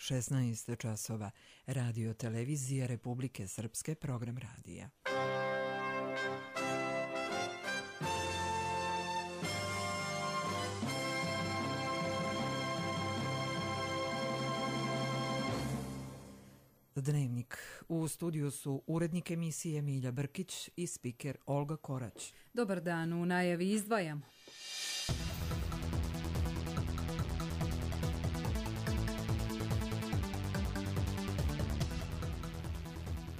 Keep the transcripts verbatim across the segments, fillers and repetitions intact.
šesnaest časova. Radio televizija Republike Srpske, program radija. Dnevnik. U studiju su urednik emisije Milja Brkić i spiker Olga Korać. Dobar dan, u najavi izdvajamo.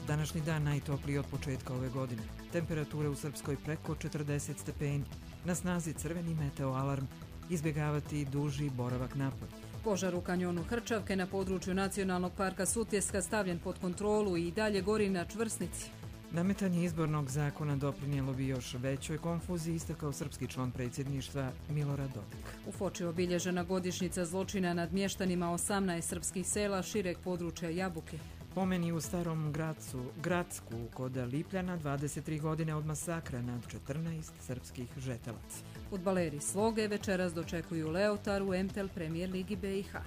Današnji dan najtopliji od početka ove godine. Temperature u Srpskoj preko četrdeset stepeni. Na snazi crveni meteoalarm. Izbjegavati duži boravak napolje. Požar u kanjonu Hrčavke na području Nacionalnog parka Sutjeska stavljen pod kontrolu i dalje gori na čvrsnici. Nametanje izbornog zakona doprinijelo bi još većoj konfuziji, istakao srpski član predsjedništva Milorad Dodik. U Foči obilježena godišnjica zločina nad mještanima osamnaest srpskih sela šireg područja Jabuke. Pomeni u Starom Gracu, Gradsku kod Lipljana, dvadeset tri godine od masakra nad četrnaest srpskih žetelaca. Fudbaleri Sloge večeras dočekuju Leotar u M T L Premier Ligi B i H.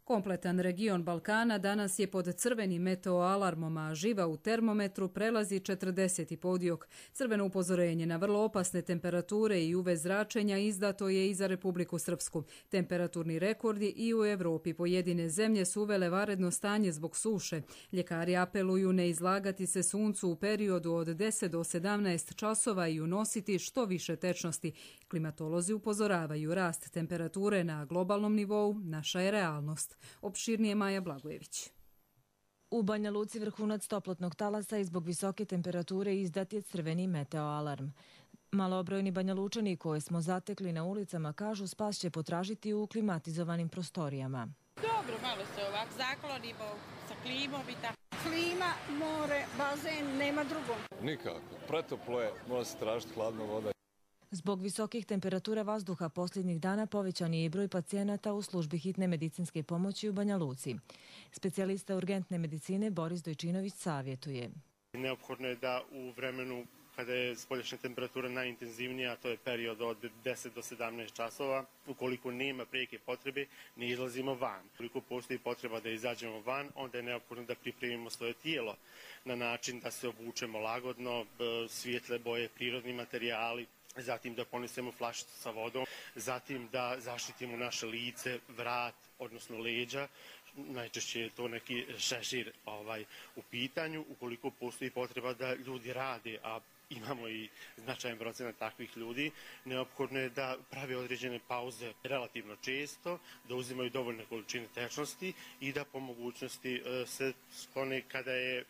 Kompletan region Balkana danas je pod crvenim meteoalarmom, a živa u termometru prelazi četrdeset podiok. Crveno upozorenje na vrlo opasne temperature i U V zračenja izdato je i za Republiku Srpsku. Temperaturni rekordi i u Evropi pojedine zemlje su uvele vanredno stanje zbog suše. Ljekari apeluju ne izlagati se suncu u periodu od deset do sedamnaest časova i unositi što više tečnosti. Klimatolozi upozoravaju rast temperature na globalnom nivou, naša je realnost. Opširnije Maja Blagojević. U Banja Luci vrhunac toplotnog talasa i zbog visoke temperature izdat je crveni meteoalarm. Malobrojni Banja Lučani koje smo zatekli na ulicama kažu spas će potražiti u klimatizovanim prostorijama. Dobro, malo se ovak zaklonimo sa klimom i tako. Klima, more, bazen, nema drugog. Nikako. Pretoplo je, mora se tražiti hladna voda. Zbog visokih temperatura vazduha posljednjih dana povećan je i broj pacijenata u službi hitne medicinske pomoći u Banja Luci. Specijalista urgentne medicine Boris Dojčinović savjetuje. Neophodno je da u vremenu kada je spoljašnja temperatura najintenzivnija, to je period od deset do sedamnaest časova, ukoliko nema prijeke potrebe, ne izlazimo van. Ukoliko postoji potreba da izađemo van, onda je neophodno da pripremimo svoje tijelo na način da se obučemo lagodno, svijetle boje, prirodni materijali, zatim da ponesemo flašicu sa vodom, zatim da zaštitimo naše lice, vrat, odnosno leđa. Najčešće je to neki šešir ovaj, u pitanju. Ukoliko postoji potreba da ljudi rade, a imamo i značajan procenat takvih ljudi, neophodno je da prave određene pauze relativno često, da uzimaju dovoljne količine tečnosti i da po mogućnosti se sklone kada je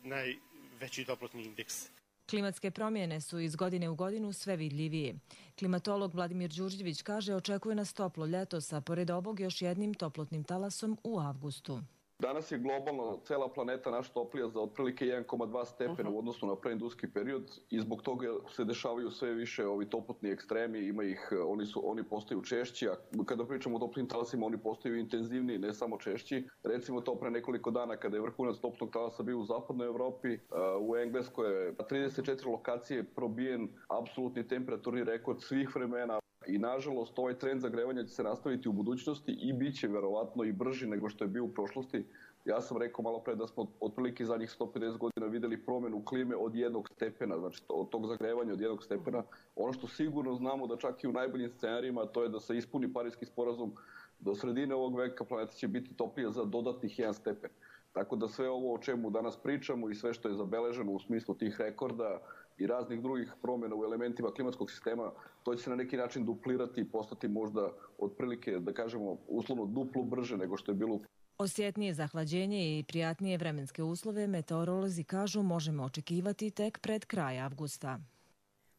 najveći toplotni indeks. Klimatske promjene su iz godine u godinu sve vidljivije. Klimatolog Vladimir Đurđević kaže očekuje nas toplo ljeto sa pored ovog još jednim toplotnim talasom u avgustu. Danas je globalno cela planeta naša toplija za otprilike jedan zarez dva stepena u odnosu na preindustrijski period i zbog toga se dešavaju sve više ovi toplotni ekstremi, ima ih, oni, su, oni postaju češći, a kada pričamo o toplim talasima oni postaju intenzivniji, ne samo češći. Recimo to pre nekoliko dana kada je vrhunac toplotnog talasa bio u zapadnoj Evropi, u Engleskoj je na trideset četiri lokacije probijen apsolutni temperaturni rekord svih vremena. I nažalost ovaj trend zagrevanja će se nastaviti u budućnosti i bit će verovatno i brži nego što je bio u prošlosti. Ja sam rekao malo pre da smo otprilike zadnjih sto pedeset godina videli promjenu klime od jednog stepena, znači od tog zagrevanja od jednog stepena. Ono što sigurno znamo da čak i u najboljim scenarijima, to je da se ispuni Pariski sporazum, do sredine ovog veka planeta će biti toplija za dodatnih jedan stepen. Tako da sve ovo o čemu danas pričamo i sve što je zabeleženo u smislu tih rekorda i raznih drugih promjena u elementima klimatskog sistema, to će se na neki način duplirati i postati možda otprilike, da kažemo, uslovno duplo brže nego što je bilo. Osjetnije zahlađenje i prijatnije vremenske uslove meteorolozi kažu možemo očekivati tek pred kraj avgusta.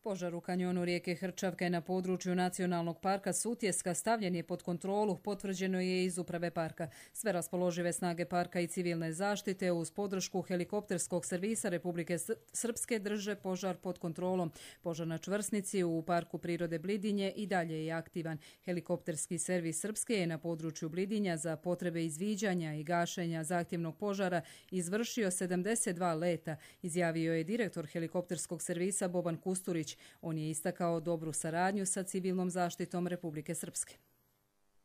Požar u kanjonu rijeke Hrčavke na području Nacionalnog parka Sutjeska stavljen je pod kontrolu, potvrđeno je iz uprave parka. Sve raspoložive snage parka i civilne zaštite uz podršku helikopterskog servisa Republike Srpske drže požar pod kontrolom. Požar na čvrsnici u Parku prirode Blidinje i dalje je aktivan. Helikopterski servis Srpske je na području Blidinja za potrebe izviđanja i gašenja zahtjevnog požara izvršio sedamdeset dva leta, izjavio je direktor helikopterskog servisa Boban Kusturić. On je istakao dobru saradnju sa civilnom zaštitom Republike Srpske.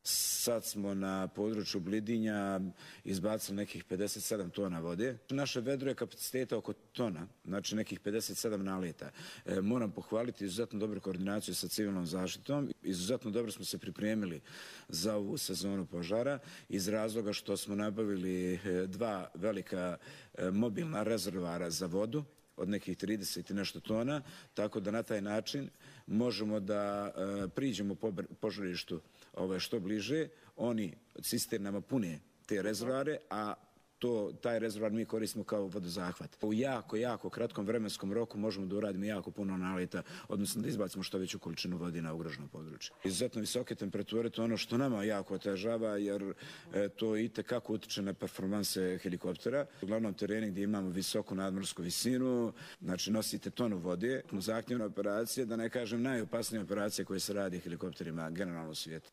Sad smo na području Blidinja izbacili nekih pedeset sedam tona vode. Naše vedro je kapaciteta oko tona, znači nekih pedeset sedam naleta. E, moram pohvaliti izuzetno dobru koordinaciju sa civilnom zaštitom. Izuzetno dobro smo se pripremili za ovu sezonu požara iz razloga što smo nabavili dva velika e, mobilna rezervoara za vodu od nekih trideset i nešto tona, tako da na taj način možemo da e, priđemo po požarištu ove, što bliže. Oni cisternama pune te rezervoare, a to, taj rezervoar mi koristimo kao vodozahvat. U jako, jako kratkom vremenskom roku možemo da uradimo jako puno naleta, odnosno da izbacimo što veću količinu vode na ugroženo područje. Izuzetno visoke temperature, to je ono što nama jako otežava, jer e, to i tekako utiče na performanse helikoptera. U glavnom terenu gdje imamo visoku nadmorsku visinu, znači nosite tonu vode, zahtjevna operacija, da ne kažem najopasnije operacije koje se radi helikopterima generalno u svijetu.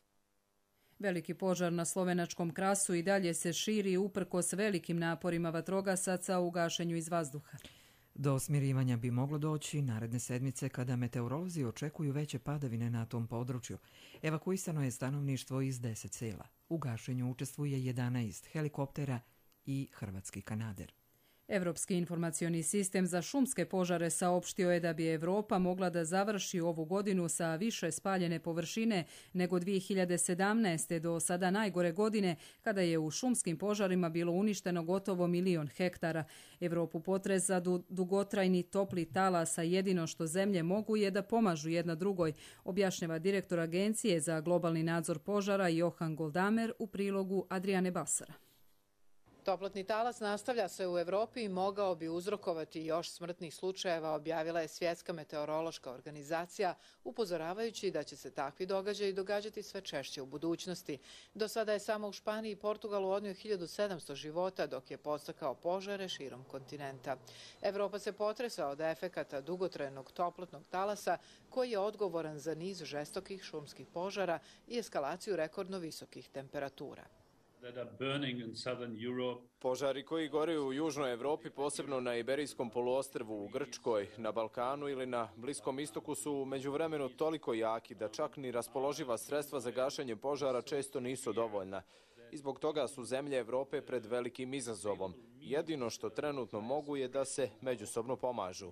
Veliki požar na slovenačkom Krasu i dalje se širi uprkos velikim naporima vatrogasaca u gašenju iz vazduha. Do smirivanja bi moglo doći naredne sedmice kada meteorolozi očekuju veće padavine na tom području. Evakuisano je stanovništvo iz deset sela. U gašenju učestvuje jedanaest helikoptera i hrvatski kanader. Evropski informacioni sistem za šumske požare saopštio je da bi Evropa mogla da završi ovu godinu sa više spaljene površine nego dvije hiljade sedamnaeste. do sada najgore godine kada je u šumskim požarima bilo uništeno gotovo milion hektara. Evropu potresa dugotrajni topli talas, a jedino što zemlje mogu je da pomažu jedna drugoj, objašnjava direktor Agencije za globalni nadzor požara Johan Goldamer u prilogu Adriane Basara. Toplotni talas nastavlja se u Evropi i mogao bi uzrokovati još smrtnih slučajeva, objavila je Svjetska meteorološka organizacija, upozoravajući da će se takvi događaji događati sve češće u budućnosti. Do sada je samo u Španiji i Portugalu odnio hiljadu sedamsto života, dok je podstakao požare širom kontinenta. Evropa se potresa od efekata dugotrajnog toplotnog talasa, koji je odgovoran za niz žestokih šumskih požara i eskalaciju rekordno visokih temperatura. Požari koji gore u južnoj Evropi, posebno na Iberijskom poluostrvu, u Grčkoj, na Balkanu ili na Bliskom istoku su u međuvremenu toliko jaki da čak ni raspoloživa sredstva za gašenje požara često nisu dovoljna. I zbog toga su zemlje Evrope pred velikim izazovom. Jedino što trenutno mogu je da se međusobno pomažu.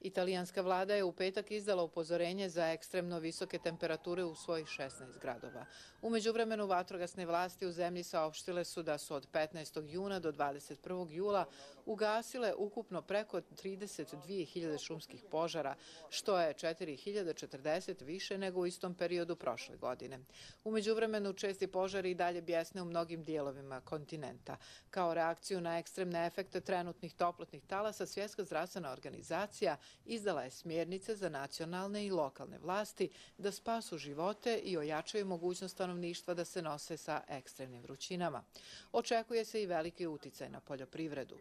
Italijanska vlada je u petak izdala upozorenje za ekstremno visoke temperature u svojih šesnaest gradova. U međuvremenu vatrogasne vlasti u zemlji saopštile su da su od petnaestog juna do dvadeset prvog jula ugasile ukupno preko trideset dvije hiljade šumskih požara, što je četiri hiljade četrdeset više nego u istom periodu prošle godine. U međuvremenu česti požari i dalje bjesne u mnogim dijelovima kontinenta. Kao reakciju na ekstremne efekte trenutnih toplotnih talasa, Svjetska zdravstvena organizacija izdala je smjernice za nacionalne i lokalne vlasti da spasu živote i ojačaju mogućnost stanovništva da se nose sa ekstremnim vrućinama. Očekuje se i veliki uticaj na poljoprivredu.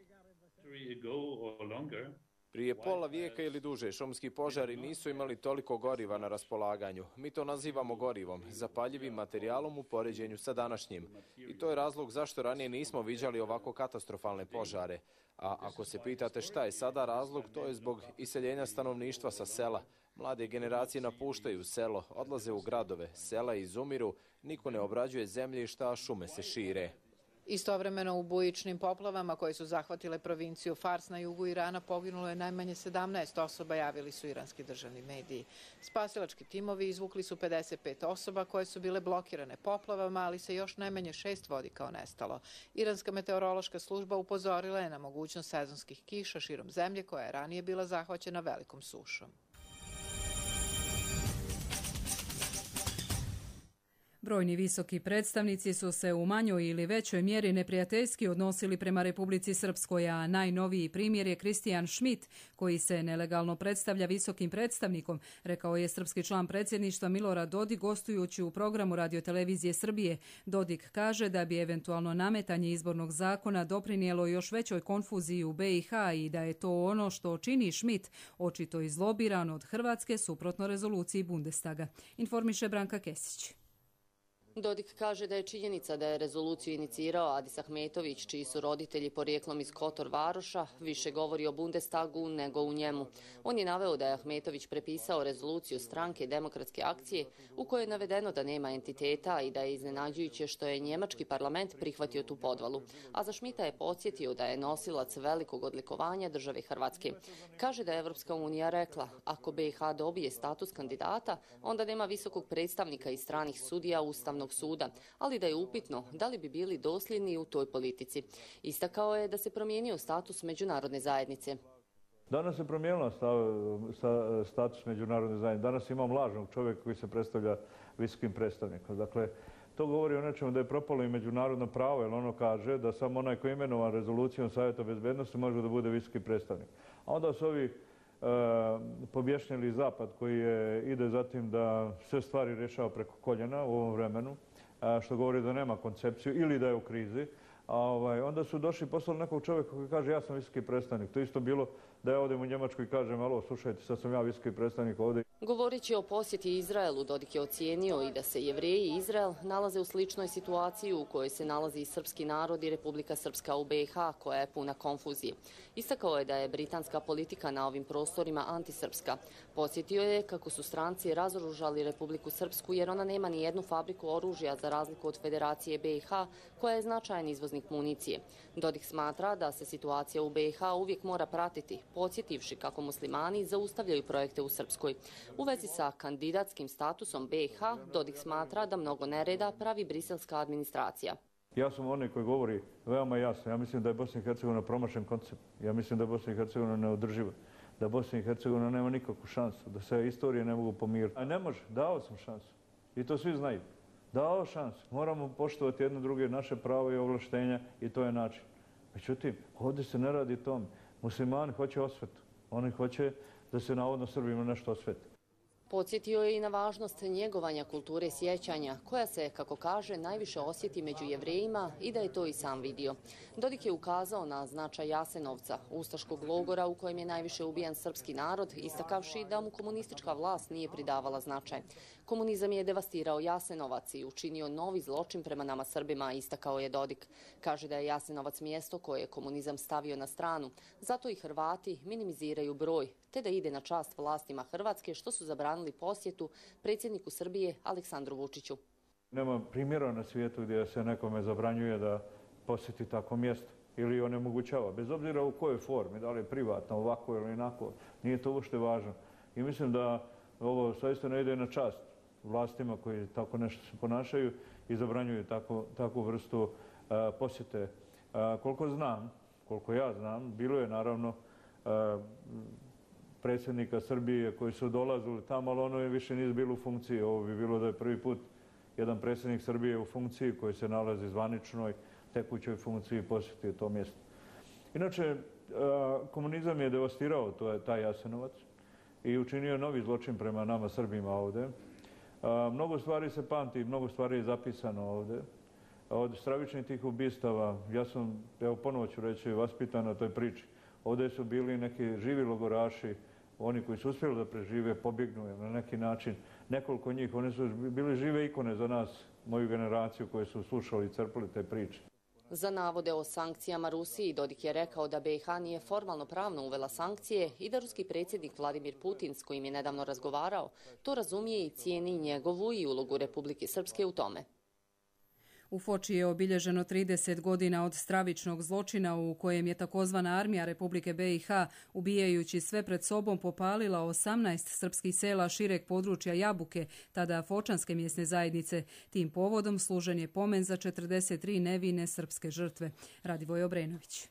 Prije pola vijeka ili duže šumski požari nisu imali toliko goriva na raspolaganju. Mi to nazivamo gorivom, zapaljivim materijalom u poređenju sa današnjim. I to je razlog zašto ranije nismo viđali ovako katastrofalne požare. A ako se pitate šta je sada razlog, to je zbog iseljenja stanovništva sa sela. Mlade generacije napuštaju selo, odlaze u gradove, sela izumiru, niko ne obrađuje zemljišta, a šume se šire. Istovremeno u bujičnim poplavama koje su zahvatile provinciju Fars na jugu Irana poginulo je najmanje sedamnaest osoba, javili su iranski državni mediji. Spasilački timovi izvukli su pedeset pet osoba koje su bile blokirane poplavama, ali se još najmanje šest vodi kao nestalo. Iranska meteorološka služba upozorila je na mogućnost sezonskih kiša širom zemlje koja je ranije bila zahvaćena velikom sušom. Brojni visoki predstavnici su se u manjoj ili većoj mjeri neprijateljski odnosili prema Republici Srpskoj, a najnoviji primjer je Kristijan Schmidt, koji se nelegalno predstavlja visokim predstavnikom, rekao je srpski član predsjedništva Milorad Dodik gostujući u programu Radiotelevizije Srbije. Dodik kaže da bi eventualno nametanje izbornog zakona doprinijelo još većoj konfuziji u be i ha i da je to ono što čini Schmidt, očito izlobiran od Hrvatske suprotno rezoluciji Bundestaga. Informiše Branka Kesić. Dodik kaže da je činjenica da je rezoluciju inicirao Adis Ahmetović, čiji su roditelji porijeklom iz Kotor Varoša, više govori o Bundestagu nego u njemu. On je naveo da je Ahmetović prepisao rezoluciju stranke Demokratske akcije u kojoj je navedeno da nema entiteta i da je iznenađujuće što je njemački parlament prihvatio tu podvalu. A za Šmita je podsjetio da je nosilac velikog odlikovanja države Hrvatske. Kaže da je Evropska unija rekla, ako B i H dobije status kandidata, onda nema visokog predstavnika i stranih sudija Ustavnog suda, ali da je upitno da li bi bili dosljedni u toj politici. Istakao je da se promijenio status međunarodne zajednice. Danas se promijenila status međunarodne zajednice. Danas imam lažnog čovjeka koji se predstavlja visokim predstavnikom. Dakle, to govori o nečemu da je propalo i međunarodno pravo, jer ono kaže da samo onaj koji je imenovan rezolucijom Savjeta bezbednosti može da bude visoki predstavnik. A onda su ovi pobješnjeli Zapad koji ide za tim da sve stvari rješava preko koljena u ovom vremenu, što govori da nema koncepciju ili da je u krizi. Onda su došli i poslali nekog čovjeka koji kaže ja sam visoki predstavnik. To isto bilo da ja odem u Njemačku i kažem alo, slušajte, sad sam ja visoki predstavnik ovdje. Govoreći o posjeti Izraelu, Dodik je ocijenio i da se Jevreji i Izrael nalaze u sličnoj situaciji u kojoj se nalazi i srpski narod i Republika Srpska u B i H, koja je puna konfuzije. Istakao je da je britanska politika na ovim prostorima antisrpska. Posjetio je kako su stranci razoružali Republiku Srpsku jer ona nema ni jednu fabriku oružja za razliku od Federacije B i H, koja je značajan izvoznik municije. Dodik smatra da se situacija u B i H uvijek mora pratiti, podsjetivši kako muslimani zaustavljaju projekte u Srpskoj. U vezi sa kandidatskim statusom B i H, Dodik smatra da mnogo nereda pravi briselska administracija. Ja sam onaj koji govori veoma jasno. Ja mislim da je Bosna i Hercegovina promašen koncept. Ja mislim da je Bosna i Hercegovina neodrživa. Da Bosna i Hercegovina nema nikakvu šansu. Da se istorije ne mogu pomiriti. A ne može. Dao sam šansu. I to svi znaju. Dao šansu. Moramo poštovati jedno druge naše pravo i ovlaštenja i to je način. Međutim, ovdje se ne radi tome. Muslimani hoće osvetu. Oni hoće da se navodno Srbima nešto osveti. Podsjetio je i na važnost njegovanja kulture sjećanja, koja se, kako kaže, najviše osjeti među Jevrejima i da je to i sam vidio. Dodik je ukazao na značaj Jasenovca, ustaškog logora u kojem je najviše ubijan srpski narod, istakavši da mu komunistička vlast nije pridavala značaj. Komunizam je devastirao Jasenovac i učinio novi zločin prema nama Srbima, istakao je Dodik. Kaže da je Jasenovac mjesto koje je komunizam stavio na stranu, zato i Hrvati minimiziraju broj, te da ide na čast vlastima Hrvatske, što su zabranili posjetu predsjedniku Srbije Aleksandru Vučiću. Nema primjera na svijetu gdje se nekome zabranjuje da posjeti tako mjesto ili onemogućava, bez obzira u kojoj formi, da li je privatno, ovako ili inako, nije to uopšte važno. I mislim da ovo zaista ne ide na čast vlastima koji tako nešto se ponašaju i zabranjuju takvu vrstu posjete. Koliko znam, koliko ja znam, bilo je naravno predsjednika Srbije koji su dolazili tamo, ali ono je više nije bilo u funkciji. Ovo bi bilo da je prvi put jedan predsjednik Srbije u funkciji koji se nalazi zvaničnoj, tekućoj funkciji posjetio to mjesto. Inače, komunizam je devastirao taj Jasenovac i učinio novi zločin prema nama Srbima ovdje. Mnogo stvari se pamti, mnogo stvari je zapisano ovdje. Od stravičnih tih ubistava, ja sam, evo ponovo ću reći, vaspitan na toj priči. Ovdje su bili neki živi logoraši, oni koji su uspjeli da prežive, pobjegnu na neki način. Nekoliko njih, oni su bili žive ikone za nas, moju generaciju koji su slušali i crpili te priče. Za navode o sankcijama Rusiji, Dodik je rekao da B i H nije formalno pravno uvela sankcije i da ruski predsjednik Vladimir Putin, s kojim je nedavno razgovarao, to razumije i cijeni njegovu i ulogu Republike Srpske u tome. U Foči je obilježeno trideset godina od stravičnog zločina u kojem je takozvana armija Republike B i H, ubijajući sve pred sobom, popalila osamnaest srpskih sela šireg područja Jabuke, tada Fočanske mjesne zajednice. Tim povodom služen je pomen za četrdeset tri nevine srpske žrtve. Radivoj Obrenović.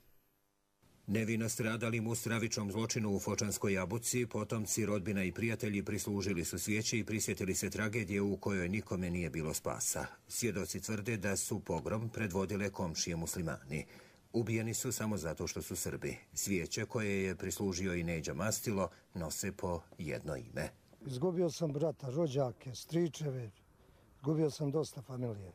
Nevino stradalim u stravičnom zločinu u Fočanskoj Jabuci, potomci, rodbina i prijatelji prislužili su svijeće i prisjetili se tragedije u kojoj nikome nije bilo spasa. Svjedoci tvrde da su pogrom predvodile komšije muslimani. Ubijeni su samo zato što su Srbi. Svijeće koje je prislužio i Neđa Mastilo nose po jedno ime. Izgubio sam brata, rođake, stričeve, izgubio sam dosta familije.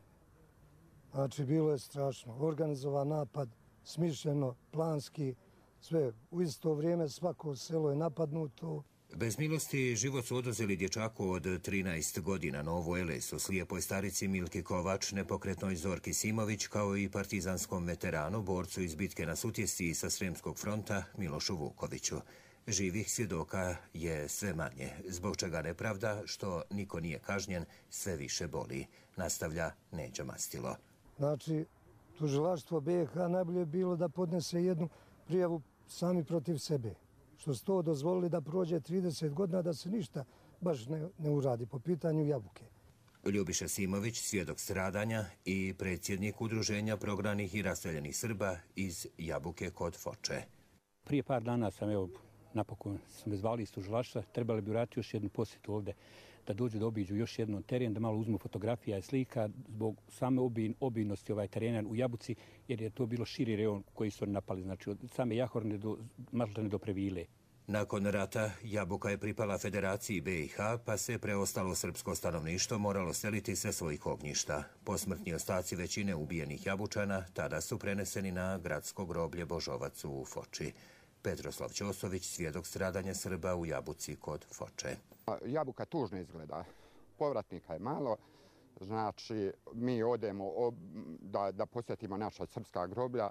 Znači, bilo je strašno. Organizovan napad, smišljeno, planski, sve. U isto vrijeme svako selo je napadnuto. Bez milosti život su oduzeli dječaku od trinaest godina, Novo Elesu, slijepoj starici Milki Kovač, nepokretnoj Zorki Simović, kao i partizanskom veteranu, borcu iz bitke na Sutjesci sa Sremskog fronta Milošu Vukoviću. Živih svjedoka je sve manje, zbog čega nepravda, što niko nije kažnjen, sve više boli, nastavlja Neđo Mastilo. Znači, tužilaštvo B iH najbolje je bilo da podnese jednu prijavu sami protiv sebe. Što su to dozvolili da prođe trideset godina, da se ništa baš ne, ne uradi po pitanju Jabuke. Ljubiša Simović, svjedok stradanja i predsjednik udruženja prognanih i raseljenih Srba iz Jabuke kod Foče. Prije par dana sam, evo, napokon sam me zvali iz tužilaštva, trebali bi vratiti još jednu posjetu ovdje, da dođu da obiđu još jednom teren, da malo uzmu fotografija i slika zbog same obin, obijnosti ovaj terena u Jabuci, jer je to bilo širi rejon koji su oni napali, znači od same Jahorne do Mažlane do Previle. Nakon rata Jabuka je pripala Federaciji B iH, pa se preostalo srpsko stanovništvo moralo seliti sa svojih ognjišta. Posmrtni ostaci većine ubijenih Jabučana tada su preneseni na gradsko groblje Božovac u Foči. Petroslav Ćosović, svjedok stradanja Srba u Jabuci kod Foče. Jabuka tužno izgleda. Povratnika je malo. Znači, mi odemo da, da posjetimo naša srpska groblja.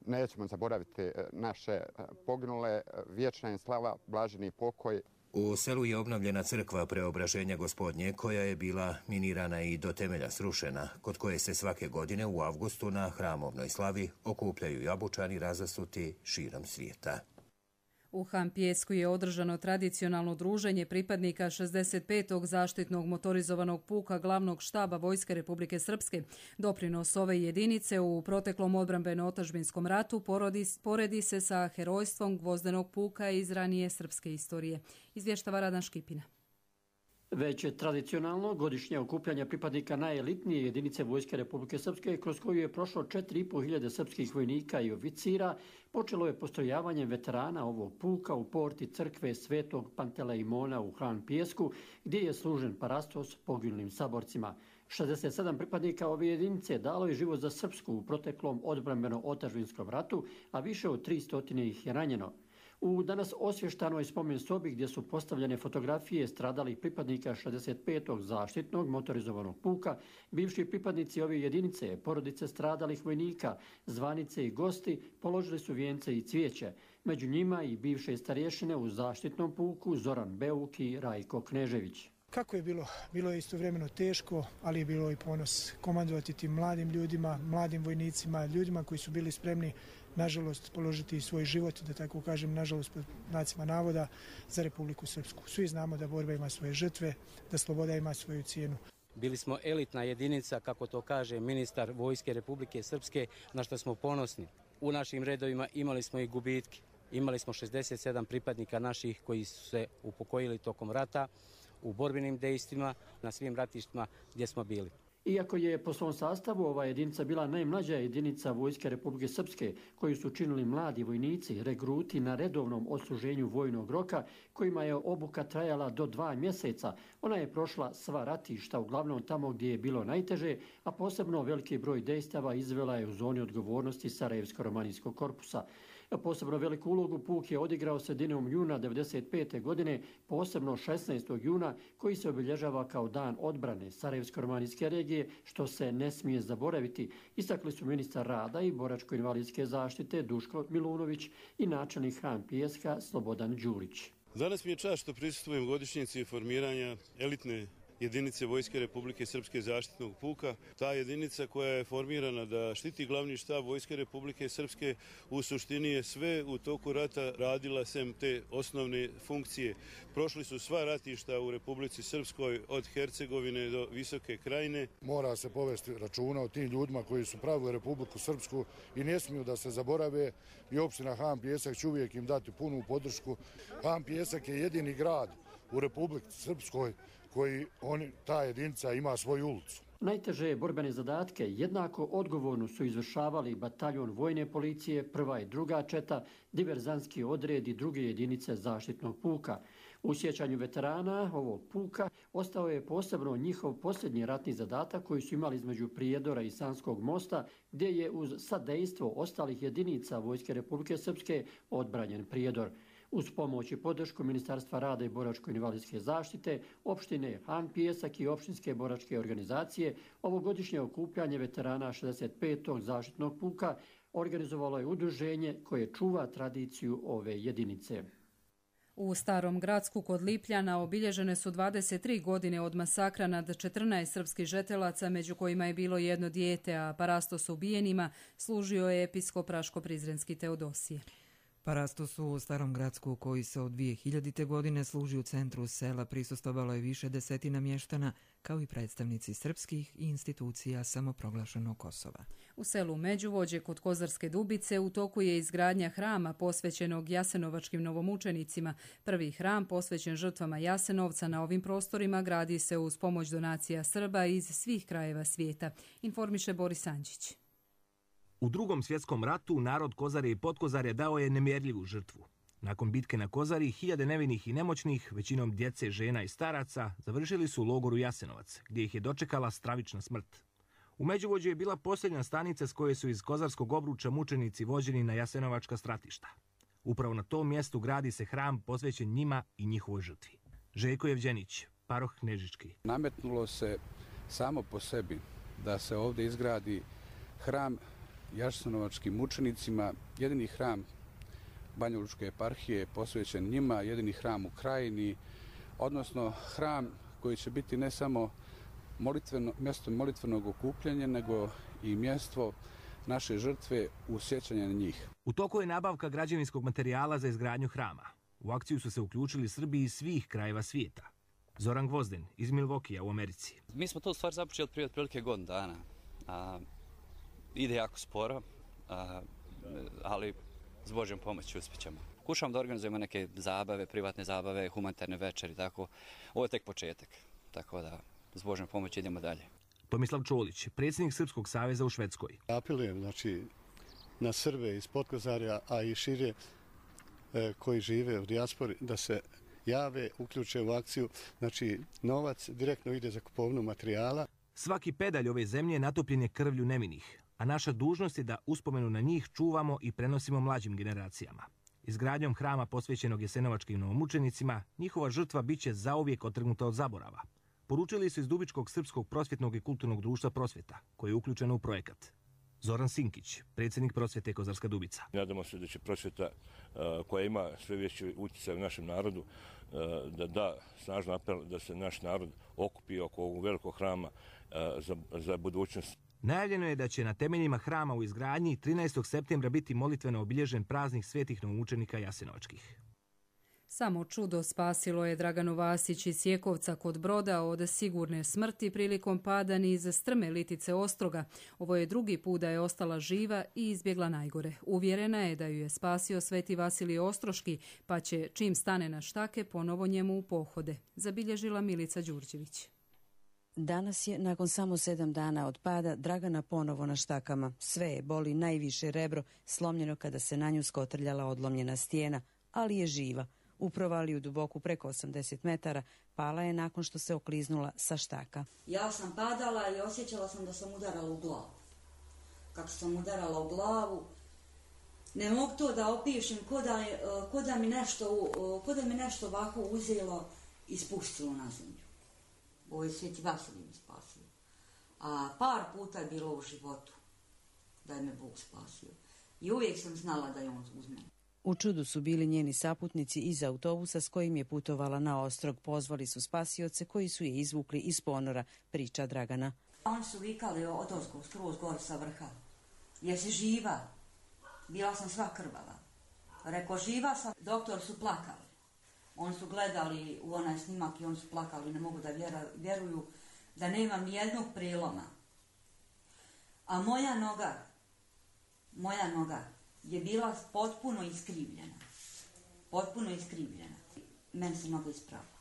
Nećemo zaboraviti naše poginule. Vječna im slava, blaženi pokoj. U selu je obnovljena crkva Preobraženja Gospodnje, koja je bila minirana i do temelja srušena, kod koje se svake godine u avgustu na hramovnoj slavi okupljaju Jabučani razasuti širom svijeta. U Hampijesku je održano tradicionalno druženje pripadnika šezdeset petog zaštitnog motorizovanog puka glavnog štaba Vojske Republike Srpske. Doprinos ove jedinice u proteklom odbrambeno-otadžbinskom ratu porodi, poredi se sa herojstvom Gvozdenog puka iz ranije srpske istorije. Izvještava Radan Škipina. Već je tradicionalno godišnje okupljanje pripadnika najelitnije jedinice Vojske Republike Srpske, kroz koju je prošlo četiri i po hiljade srpskih vojnika i oficira, počelo je postrojavanjem veterana ovog puka u porti crkve Svetog Panteleimona u Hampijesku, gdje je služen parastos poginulim saborcima. šezdeset sedam pripadnika ove jedinice dalo je život za Srpsku u proteklom odbrambeno-otadžbinskom ratu, a više od tristo ih je ranjeno. U danas osvještanoj spomen sobi gdje su postavljene fotografije stradalih pripadnika šezdeset petog zaštitnog motorizovanog puka, bivši pripadnici ove jedinice, porodice stradalih vojnika, zvanice i gosti položili su vijence i cvijeće. Među njima i bivše starješine u zaštitnom puku Zoran Beuk i Rajko Knežević. Kako je bilo? Bilo je istovremeno teško, ali je bilo i ponos komandovati tim mladim ljudima, mladim vojnicima, ljudima koji su bili spremni, nažalost, položiti svoj život, da tako kažem, nažalost, pod znacima navoda, za Republiku Srpsku. Svi znamo da borba ima svoje žrtve, da sloboda ima svoju cijenu. Bili smo elitna jedinica, kako to kaže ministar Vojske Republike Srpske, na što smo ponosni. U našim redovima imali smo i gubitke. Imali smo šezdeset sedam pripadnika naših koji su se upokojili tokom rata, u borbenim dejstvima, na svim ratištima gdje smo bili. Iako je po svom sastavu ova jedinica bila najmlađa jedinica Vojske Republike Srpske, koju su činili mladi vojnici, regruti na redovnom odsluženju vojnog roka, kojima je obuka trajala do dva mjeseca, ona je prošla sva ratišta, uglavnom tamo gdje je bilo najteže, a posebno veliki broj dejstava izvela je u zoni odgovornosti Sarajevsko-romanijskog korpusa. Posebno veliku ulogu puk je odigrao sredinom juna devedeset pete godine, posebno šesnaestog juna, koji se obilježava kao dan odbrane Sarajevsko-romanijske regije, što se ne smije zaboraviti, istakli su ministar rada i boračko-invalidske zaštite Duško Milunović i načelnik Hampijeska Slobodan Đurić. Danas mi je čast što prisustvujem godišnjici formiranja elitne jedinice Vojske Republike Srpske zaštitnog puka. Ta jedinica koja je formirana da štiti glavni štab Vojske Republike Srpske u suštini je sve u toku rata radila sem te osnovne funkcije. Prošli su sva ratišta u Republici Srpskoj od Hercegovine do Visoke Krajine. Mora se povesti računa o tim ljudima koji su pravili Republiku Srpsku i ne smiju da se zaborave i opština Hampijesak će uvijek im dati punu podršku. Hampijesak je jedini grad u Republici Srpskoj koji oni, ta jedinica ima svoju ulicu. Najteže borbene zadatke jednako odgovorno su izvršavali bataljon vojne policije, prva i druga četa, diverzanski odred i druge jedinice zaštitnog puka. U sjećanju veterana ovog puka ostao je posebno njihov posljednji ratni zadatak koji su imali između Prijedora i Sanskog mosta, gdje je uz sadejstvo ostalih jedinica Vojske Republike Srpske odbranjen Prijedor. Uz pomoć i podršku Ministarstva rada i boračko-invalidske zaštite, opštine Han Pijesak i opštinske boračke organizacije, ovogodišnje okupljanje veterana šezdeset petog zaštitnog puka organizovalo je udruženje koje čuva tradiciju ove jedinice. U Starom Gradsku kod Lipljana obilježene su dvadeset tri godine od masakra nad četrnaest srpskih žetelaca, među kojima je bilo jedno dijete, a parastos ubijenima služio je episkop Raško-Prizrenski Teodosije. Parastos u Starom Gradsku, koji se od dvije hiljadite. godine služi u centru sela, prisustvovalo je više desetina mještana, kao i predstavnici srpskih i institucija samoproglašenog Kosova. U selu Međuvođe kod Kozarske Dubice u toku je izgradnja hrama posvećenog jasenovačkim novomučenicima. Prvi hram posvećen žrtvama Jasenovca na ovim prostorima gradi se uz pomoć donacija Srba iz svih krajeva svijeta, informiše Boris Anđić. U Drugom svjetskom ratu narod Kozare i Potkozare dao je nemjerljivu žrtvu. Nakon bitke na Kozari, hiljade nevinih i nemoćnih, većinom djece, žena i staraca, završili su u logoru Jasenovac, gdje ih je dočekala stravična smrt. U Međuvođu je bila posljednja stanica s koje su iz Kozarskog obruča mučenici vođeni na jasenovačka stratišta. Upravo na tom mjestu gradi se hram posvećen njima i njihovoj žrtvi. Željko Jevđenić, paroh Knežički. Nametnulo se samo po sebi da se ovdje izgradi hram jasenovačkim mučenicima, jedini hram Banjalučke eparhije posvećen njima, jedini hram u Krajini, odnosno hram koji će biti ne samo molitveno, mjesto molitvenog okupljanja, nego i mjesto naše žrtve u sjećanje na njih. U toku je nabavka građevinskog materijala za izgradnju hrama. U akciju su se uključili Srbi iz svih krajeva svijeta. Zoran Gvozden iz Milvokija u Americi. Mi smo to u stvari započeli od prije otprilike godinu dana. A, ide jako sporo, a, ali s Božjom pomoći uspjećemo. Pokušamo da organizujemo neke zabave, privatne zabave, humanitarne večeri, tako. Ovo je tek početak, tako da s Božjom pomoći idemo dalje. Tomislav Čolić, predsjednik Srpskog saveza u Švedskoj. Apelujem znači, na Srbe iz Potkozarja, a i šire e, koji žive u dijaspori, da se jave, uključe u akciju. Znači, novac direktno ide za kupovnu materijala. Svaki pedalj ove zemlje natopljen je krvlju nevinih, a naša dužnost je da uspomenu na njih čuvamo i prenosimo mlađim generacijama. Izgradnjom hrama posvećenog jasenovačkim novomučenicima, njihova žrtva bit će zauvijek otrgnuta od zaborava. Poručili su iz Dubičkog srpskog prosvjetnog i kulturnog društva Prosvjeta, koji je uključeno u projekat. Zoran Sinkić, predsjednik Prosvjete Kozarska Dubica. Nadamo se da će Prosvjeta, koja ima sve veći utjecaj u našem narodu, da da snažno apel da se naš narod okupi oko ovog velikog hrama za, za budućnost. Najavljeno je da će na temeljima hrama u izgradnji trinaestog septembra biti molitveno obilježen praznik svetih novomučenika jasenovačkih. Samo čudo spasilo je Draganu Vasić iz Sjekovca kod Broda od sigurne smrti prilikom pada niz strme Litice Ostroga. Ovo je drugi put da je ostala živa i izbjegla najgore. Uvjerena je da ju je spasio Sveti Vasilije Ostroški, pa će čim stane na štake ponovo njemu u pohode, zabilježila Milica Đurđević. Danas je, nakon samo sedam dana od pada, Dragana ponovo na štakama. Sve je boli, najviše rebro, slomljeno kada se na nju skotrljala odlomljena stijena, ali je živa. U provaliju duboku preko osamdeset metara pala je nakon što se okliznula sa štaka. Ja sam padala i osjećala sam da sam udarala u glavu. Kako sam udarala u glavu, ne mogu to da opišem, ko da, ko da mi nešto, ko da mi nešto ovako uzelo i spustilo na zemlju. Ovo je Sveti Vasilij mi spasio. A par puta je bilo u životu da je me Bog spasio. I uvijek sam znala da je on uz mene. U čudu su bili njeni saputnici iz autobusa s kojim je putovala na Ostrog. Pozvali su spasioce koji su je izvukli iz ponora, priča Dragana. Oni su vikali od ozgo, skroz gore sa vrha. Jesi živa? Bila sam sva krvava. Reko, živa sam. Doktor su plakali. Oni su gledali u onaj snimak i oni su plakali. Ne mogu da vjeruju da nemam nijednog preloma. A moja noga, moja noga, je bila potpuno iskrivljena. Potpuno iskrivljena. Meni se noga ispravila.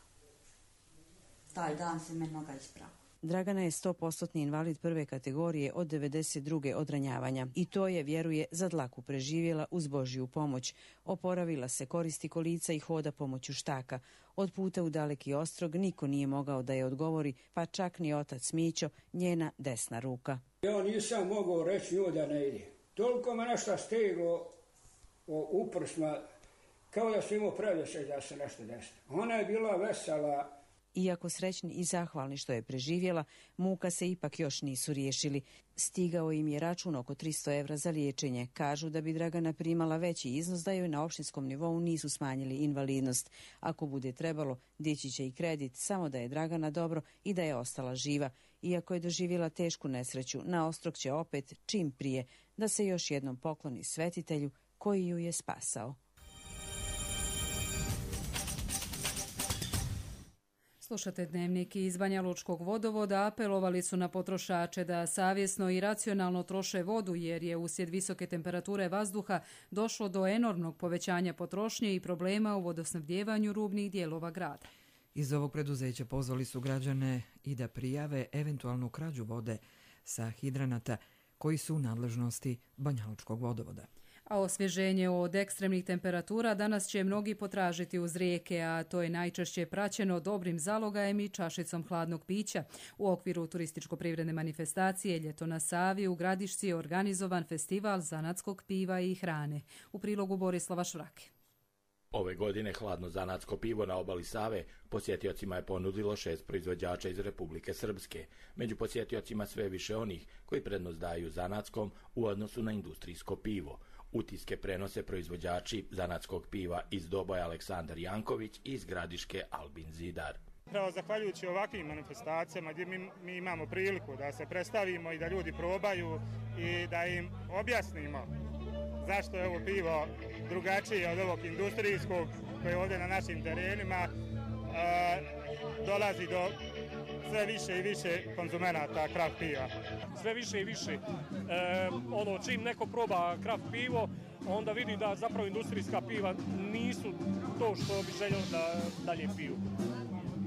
Taj dan se meni noga ispravila. Dragana je sto posto invalid prve kategorije od devedeset druge od ranjavanja. I to je, vjeruje, za dlaku preživjela uz Božju pomoć. Oporavila se, koristi kolica i hoda pomoću štaka. Od puta u daleki Ostrog niko nije mogao da je odgovori, pa čak ni otac Mićo, njena desna ruka. Ja nisam mogao reći njoj da ne ide. Toliko me nešto steglo uprsma kao da su imao predosjećaj da se nešto desi. Ona je bila vesela. Iako srećni i zahvalni što je preživjela, muka se ipak još nisu riješili. Stigao im je račun oko tristo evra za liječenje. Kažu da bi Dragana primala veći iznos da joj na opštinskom nivou nisu smanjili invalidnost. Ako bude trebalo, dići će i kredit, samo da je Dragana dobro i da je ostala živa. Iako je doživjela tešku nesreću, na Ostrog će opet čim prije da se još jednom pokloni svetitelju koji ju je spasao. Slušate Dnevnik iz Banja Lučkog vodovoda. Apelovali su na potrošače da savjesno i racionalno troše vodu jer je uslijed visoke temperature vazduha došlo do enormnog povećanja potrošnje i problema u vodosnabdjevanju rubnih dijelova grada. Iz ovog preduzeća pozvali su građane i da prijave eventualnu krađu vode sa hidranata koji su u nadležnosti Banja Lučkog vodovoda. A osvježenje od ekstremnih temperatura danas će mnogi potražiti uz rijeke, a to je najčešće praćeno dobrim zalogajem i čašicom hladnog pića. U okviru turističko-privredne manifestacije Ljeto na Savi u Gradišci je organizovan festival zanatskog piva i hrane. U prilogu Borislava Švrake. Ove godine hladno zanatsko pivo na obali Save posjetiocima je ponudilo šest proizvođača iz Republike Srpske. Među posjetiocima sve više onih koji prednost daju zanatskom u odnosu na industrijsko pivo. Utiske prenose proizvođači zanatskog piva iz Doboja Aleksandar Janković i iz Gradiške Albin Zidar. Pravo zahvaljujući ovakvim manifestacijama gdje mi, mi imamo priliku da se predstavimo i da ljudi probaju i da im objasnimo zašto je ovo pivo drugačije od ovog industrijskog koje je ovdje na našim terenima, e, dolazi do sve više i više konzumenata kraft piva. Sve više i više. E, ono, čim neko proba kraft pivo, onda vidi da zapravo industrijska piva nisu to što bi željelo da dalje piju.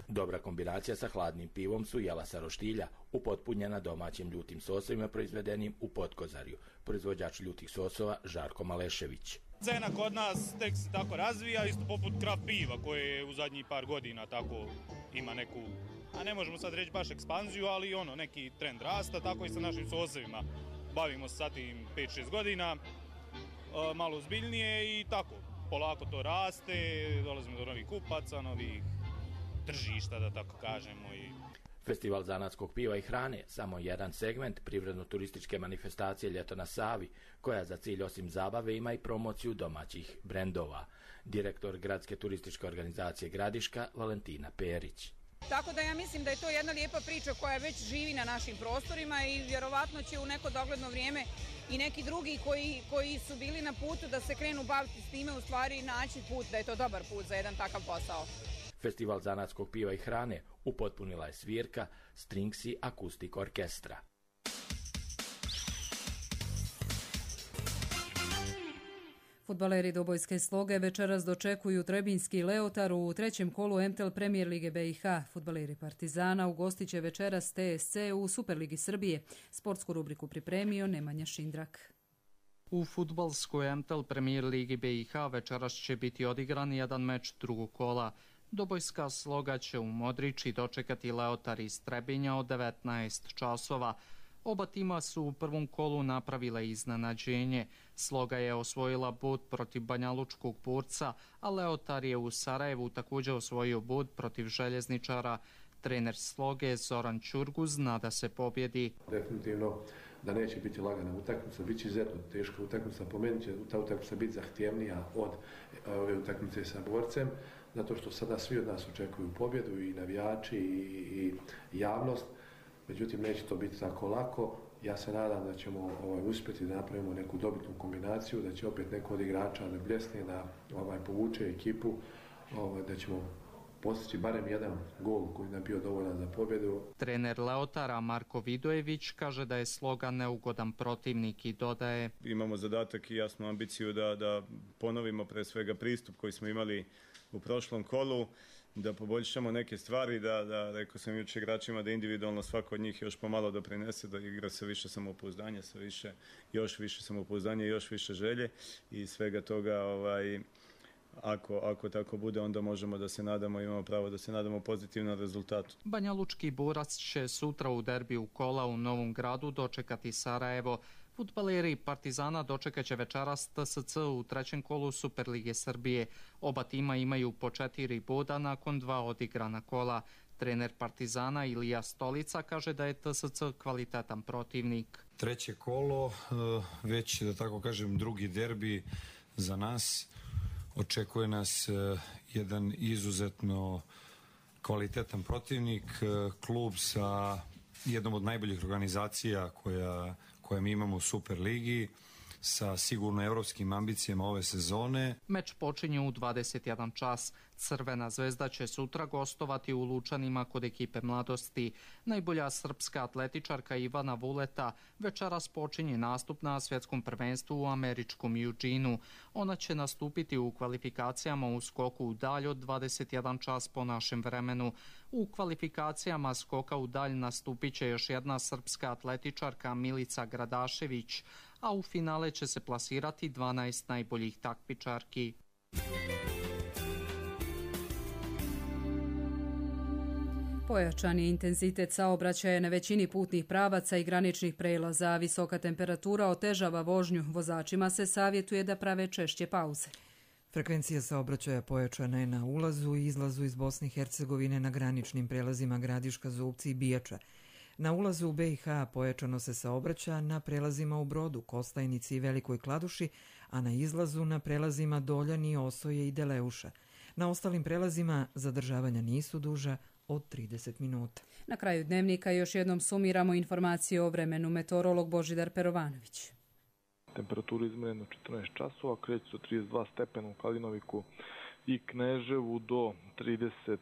Dobra kombinacija sa hladnim pivom su jela sa roštilja, upotpunjena domaćim ljutim sosovima proizvedenim u Potkozarju. Proizvođač ljutih sosova Žarko Malešević. Cena kod nas tek se tako razvija, isto poput kraft piva koje u zadnjih par godina tako ima neku, a ne možemo sad reći baš ekspanziju, ali ono neki trend rasta, tako i sa našim sosovima. Bavimo se sa tim pet šest godina, malo ozbiljnije i tako, polako to raste, dolazimo do novih kupaca, novih tržišta, da tako kažemo. I... Festival zanatskog piva i hrane samo jedan segment privredno-turističke manifestacije Ljeto na Savi, koja za cilj osim zabave ima i promociju domaćih brendova. Direktor Gradske turističke organizacije Gradiška Valentina Perić. Tako da ja mislim da je to jedna lijepa priča koja već živi na našim prostorima i vjerovatno će u neko dogledno vrijeme i neki drugi koji, koji su bili na putu da se krenu baviti s time u stvari naći put, da je to dobar put za jedan takav posao. Festival zanatskog piva i hrane upotpunila je svirka Stringsi Akustik Orkestra. Fudbaleri Dobojske Sloge večeras dočekuju Trebinjski Leotar u trećem kolu M T L Premier Lige B i H. Fudbaleri Partizana ugostit će večeras T S C u Superligi Srbije. Sportsku rubriku pripremio Nemanja Šindrak. U fudbalskoj M T L Premier Ligi B i H večeras će biti odigran jedan meč drugog kola. Dobojska Sloga će u Modriči dočekati Leotar iz Trebinja od devetnaest časova. Oba tima su u prvom kolu napravile iznenađenje. Sloga je osvojila bod protiv Banjalučkog Burca, a Leotar je u Sarajevu također osvojio bod protiv Željezničara. Trener Sloge Zoran Ćurguz nada se pobjedi. Definitivno da neće biti lagana utakmica, bit će izuzetno teška utakmica, po meni će ta utakmica biti zahtjevnija od ove utakmice sa Borcem, zato što sada svi od nas očekuju pobjedu, i navijači i, i javnost. Međutim, neće to biti tako lako. Ja se nadam da ćemo ovaj, uspjeti da napravimo neku dobitnu kombinaciju, da će opet neko od igrača da bljesne, da ovaj, povuče ekipu, ovaj, da ćemo postići barem jedan gol koji nam bio dovoljan za pobjedu. Trener Leotara Marko Vidojević kaže da je Sloga neugodan protivnik i dodaje: imamo zadatak i jasnu ambiciju da, da ponovimo pre svega pristup koji smo imali u prošlom kolu, da poboljšamo neke stvari, da, da rekao sam jučer igračima da individualno svako od njih još pomalo doprinese, da igra sa više samopouzdanja, sa više, još više samopouzdanja i još više želje i svega toga, ovaj, ako, ako tako bude, onda možemo da se nadamo, imamo pravo da se nadamo pozitivnom rezultatu. Banjalučki Burac će sutra u derbiju kola u Novom Gradu dočekati Sarajevo. Fudbaleri Partizana dočekaće večeras T S C u trećem kolu Superlige Srbije. Oba tima imaju po četiri boda nakon dva odigrana kola. Trener Partizana Ilija Stolica kaže da je T S C kvalitetan protivnik. Treće kolo, već da tako kažem drugi derbi za nas. Očekuje nas jedan izuzetno kvalitetan protivnik, klub sa jednom od najboljih organizacija koja, koje mi imamo u Superligi, sa sigurno evropskim ambicijama ove sezone. Meč počinje u dvadeset jedan čas. Crvena zvezda će sutra gostovati u Lučanima kod ekipe Mladosti. Najbolja srpska atletičarka Ivana Vuleta večeras počinje nastup na svjetskom prvenstvu u američkom Eugenu. Ona će nastupiti u kvalifikacijama u skoku u dalj od dvadeset jedan čas po našem vremenu. U kvalifikacijama skoka u dalj nastupit će još jedna srpska atletičarka Milica Gradašević, a u finale će se plasirati dvanaest najboljih takmičarki. Pojačan je intenzitet saobraćaja na većini putnih pravaca i graničnih prelaza. Visoka temperatura otežava vožnju. Vozačima se savjetuje da prave češće pauze. Frekvencija saobraćaja pojačana je na ulazu i izlazu iz Bosne i Hercegovine na graničnim prelazima Gradiška, Zubci i Bijača. Na ulazu u B i H pojačano se saobraća na prelazima u Brodu, Kostajnici i Velikoj Kladuši, a na izlazu na prelazima Doljani, Osoje i Deleuša. Na ostalim prelazima zadržavanja nisu duža od trideset minuta. Na kraju dnevnika još jednom sumiramo informacije o vremenu. Meteorolog Božidar Perovanović. Temperatura izmjerena četrnaest časova, kreće se od trideset dva stepena u Kalinoviku i Kneževu do trideset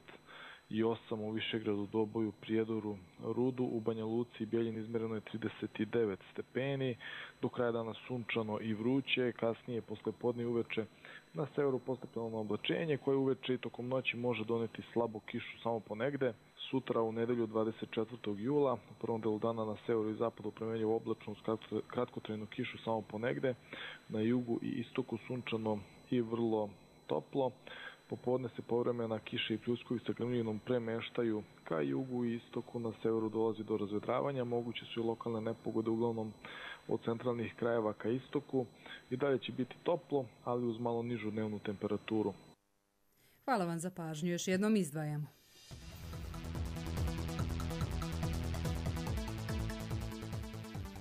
i osam u Višegradu, Doboju, Prijedoru, Rudu, u Banja Luci i Bijeljini izmjereno je trideset devet stepeni, do kraja dana sunčano i vruće, kasnije posle podne i uveče na severu postepeno oblačenje koje uveče i tokom noći može doneti slabu kišu samo ponegde. Sutra u nedelju dvadeset četvrtog jula, u prvom delu dana na severu i zapadu promenljivo oblačno uz kratkotrajnu kišu samo ponegde, na jugu i istoku sunčano i vrlo toplo. Popodne se povremena kiša i pljuskovi sa grmljinom premeštaju ka jugu i istoku, na severu dolazi do razvedravanja, moguće su i lokalne nepogode uglavnom od centralnih krajeva ka istoku. I dalje će biti toplo, ali uz malo nižu dnevnu temperaturu. Hvala vam za pažnju, još jednom izdvajamo.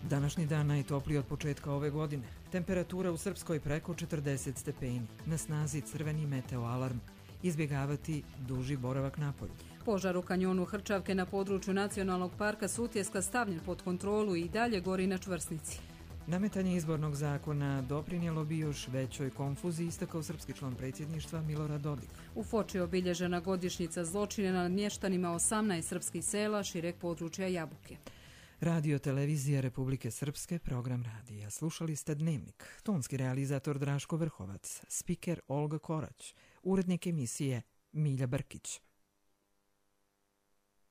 Današnji dan najtopliji od početka ove godine. Temperatura u Srpskoj preko četrdeset stepeni. Na snazi crveni meteo alarm. Izbjegavati duži boravak napolju. Požar u kanjonu Hrčavke na području Nacionalnog parka Sutjeska stavljen pod kontrolu i dalje gori na čvrsnici. Nametanje izbornog zakona doprinijelo bi još većoj konfuziji, istakao srpski član predsjedništva Milorad Dodik. U Foči je obilježena godišnjica zločina nad mještanima osamnaest srpskih sela šireg područja Jabuke. Radio Televizija Republike Srpske, program radija. Slušali ste Dnevnik. Tonski realizator Draško Vrhovac, spiker Olga Korać, urednik emisije Milja Brkić.